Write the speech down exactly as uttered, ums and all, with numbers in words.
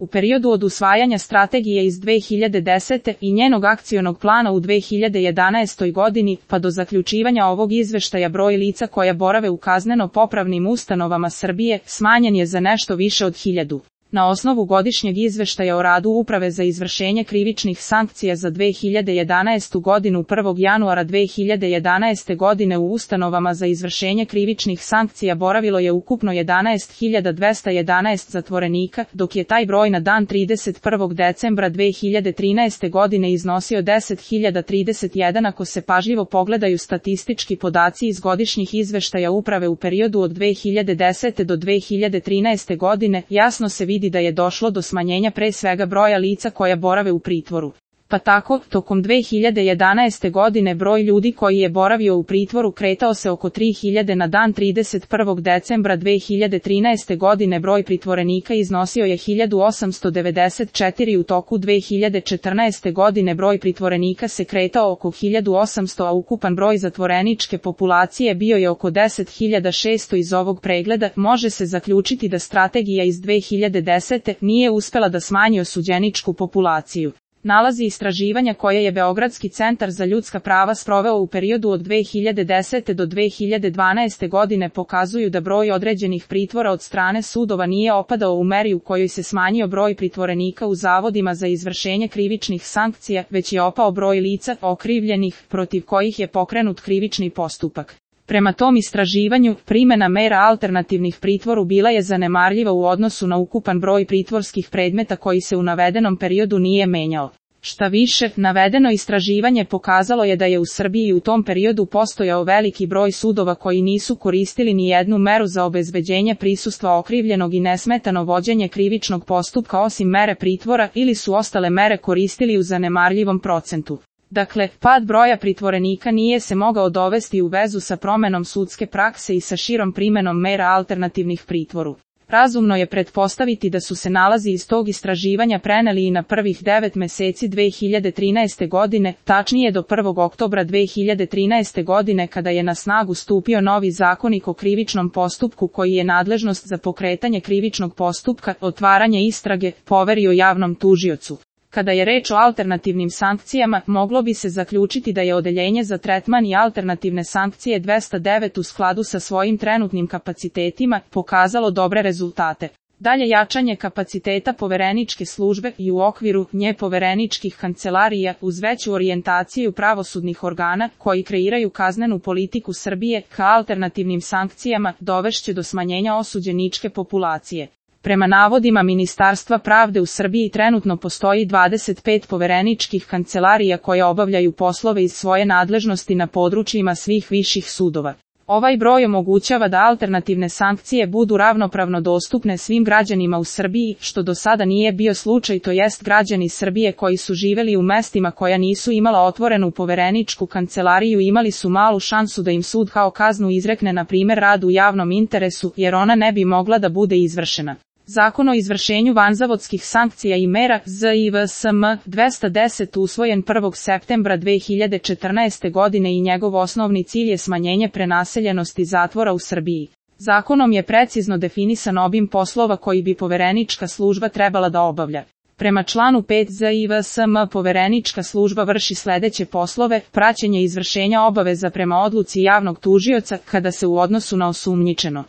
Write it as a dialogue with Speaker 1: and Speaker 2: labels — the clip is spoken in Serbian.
Speaker 1: U periodu od usvajanja strategije iz dve hiljade desete. i njenog akcionog plana u dve hiljade jedanaestoj. godini, pa do zaključivanja ovog izveštaja broj lica koja borave u kazneno-popravnim ustanovama Srbije smanjen je za nešto više od hiljadu. Na osnovu godišnjeg izveštaja o radu Uprave za izvršenje krivičnih sankcija za dve hiljade jedanaestu. godinu prvog januara dve hiljade jedanaeste. godine u ustanovama za izvršenje krivičnih sankcija boravilo je ukupno jedanaest hiljada dvesta jedanaest zatvorenika, dok je taj broj na dan trideset prvog decembra dve hiljade trinaeste. godine iznosio deset hiljada trideset jedan. Ako se pažljivo pogledaju statistički podaci iz godišnjih izveštaja Uprave u periodu od dve hiljade desete. do dve hiljade trinaeste. godine, jasno se vidi da je došlo do smanjenja pre svega broja lica koja borave u pritvoru. Pa tako, tokom dve hiljade jedanaeste. godine broj ljudi koji je boravio u pritvoru kretao se oko tri hiljade na dan trideset prvog decembra dve hiljade trinaeste. godine broj pritvorenika iznosio je hiljadu osamsto devedeset četiri, u toku dve hiljade četrnaeste. godine broj pritvorenika se kretao oko hiljadu osamsto, a ukupan broj zatvoreničke populacije bio je oko deset hiljada šesto. Iz ovog pregleda može se zaključiti da strategija iz dve hiljade desete. nije uspela da smanji osuđeničku populaciju. Nalazi istraživanja koje je Beogradski centar za ljudska prava sproveo u periodu od dve hiljade desete. do dve hiljade dvanaeste. godine pokazuju da broj određenih pritvora od strane sudova nije opadao u meri u kojoj se smanjio broj pritvorenika u zavodima za izvršenje krivičnih sankcija, već je opao broj lica okrivljenih protiv kojih je pokrenut krivični postupak. Prema tom istraživanju, primjena mera alternativnih pritvoru bila je zanemarljiva u odnosu na ukupan broj pritvorskih predmeta koji se u navedenom periodu nije menjao. Šta više, navedeno istraživanje pokazalo je da je u Srbiji u tom periodu postojao veliki broj sudova koji nisu koristili ni jednu meru za obezbeđenje prisustva okrivljenog i nesmetano vođenje krivičnog postupka osim mere pritvora, ili su ostale mere koristili u zanemarljivom procentu. Dakle, pad broja pritvorenika nije se mogao dovesti u vezu sa promenom sudske prakse i sa širom primenom mera alternativnih pritvoru. Razumno je pretpostaviti da su se nalazi iz tog istraživanja preneli i na prvih devet meseci dve hiljade trinaeste. godine, tačnije do prvog oktobra dve hiljade trinaeste. godine kada je na snagu stupio novi zakonik o krivičnom postupku koji je nadležnost za pokretanje krivičnog postupka, otvaranje istrage, poverio javnom tužiocu. Kada je reč o alternativnim sankcijama, moglo bi se zaključiti da je Odeljenje za tretman i alternativne sankcije dvesta devet u skladu sa svojim trenutnim kapacitetima pokazalo dobre rezultate. Dalje jačanje kapaciteta povereničke službe i u okviru nje povereničkih kancelarija uz veću orijentaciju pravosudnih organa koji kreiraju kaznenu politiku Srbije ka alternativnim sankcijama dovešće do smanjenja osuđeničke populacije. Prema navodima Ministarstva pravde u Srbiji trenutno postoji dvadeset pet povereničkih kancelarija koje obavljaju poslove iz svoje nadležnosti na područjima svih viših sudova. Ovaj broj omogućava da alternativne sankcije budu ravnopravno dostupne svim građanima u Srbiji, što do sada nije bio slučaj, to jest građani Srbije koji su živeli u mestima koja nisu imala otvorenu povereničku kancelariju imali su malu šansu da im sud kao kaznu izrekne na primjer rad u javnom interesu, jer ona ne bi mogla da bude izvršena. Zakon o izvršenju vanzavodskih sankcija i mera Z I V S M dvesta deset usvojen prvog septembra dve hiljade četrnaeste. godine i njegov osnovni cilj je smanjenje prenaseljenosti zatvora u Srbiji. Zakonom je precizno definisan obim poslova koji bi poverenička služba trebala da obavlja. Prema članu pet Z I V S M poverenička služba vrši sledeće poslove: praćenje izvršenja obaveza prema odluci javnog tužioca kada se u odnosu na osumnjičeno